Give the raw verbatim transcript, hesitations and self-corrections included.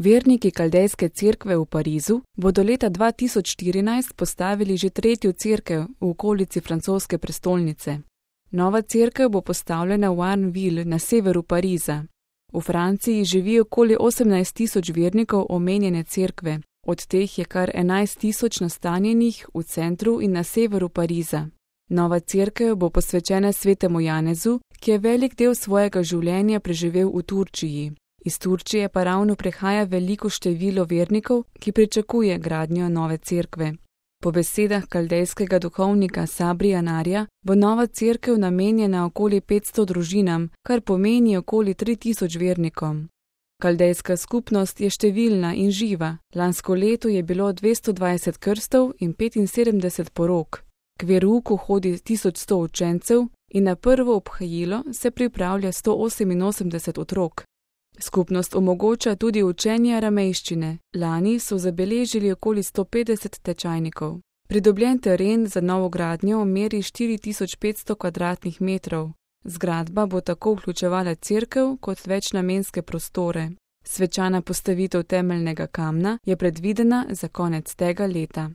Verniki Kaldejske cerkve v Parizu bodo leta dva tisoč štirinajst postavili že tretjo cerkev v okolici francoske prestolnice. Nova cerkev bo postavljena v Arnville na severu Pariza. V Franciji živi okoli osemnajst tisoč vernikov omenjene cerkve, od teh je kar enajst tisoč nastanjenih v centru in na severu Pariza. Nova cerkev bo posvečena svetemu Janezu, ki je velik del svojega življenja preživel v Turčiji. Iz Turčije pa ravno prihaja veliko število vernikov, ki pričakuje gradnjo nove cerkve. Po besedah kaldejskega duhovnika Sabrija Narja bo nova cerkev namenjena okoli petsto družinam, kar pomeni okoli tri tisoč vernikom. Kaldejska skupnost je številna in živa. Lansko leto je bilo dvesto dvajset krstov in petinsedemdeset porok. K verouku hodi tisoč sto učencev in na prvo obhajilo se pripravlja sto oseminosemdeset otrok. Skupnost omogoča tudi učenje aramejščine. Lani so zabeležili okoli sto petdeset tečajnikov. Pridobljen teren za novo gradnjo meri štiri tisoč petsto kvadratnih metrov. Zgradba bo tako vključevala cerkev kot večnamenske prostore. Svečana postavitev temeljnega kamna je predvidena za konec tega leta.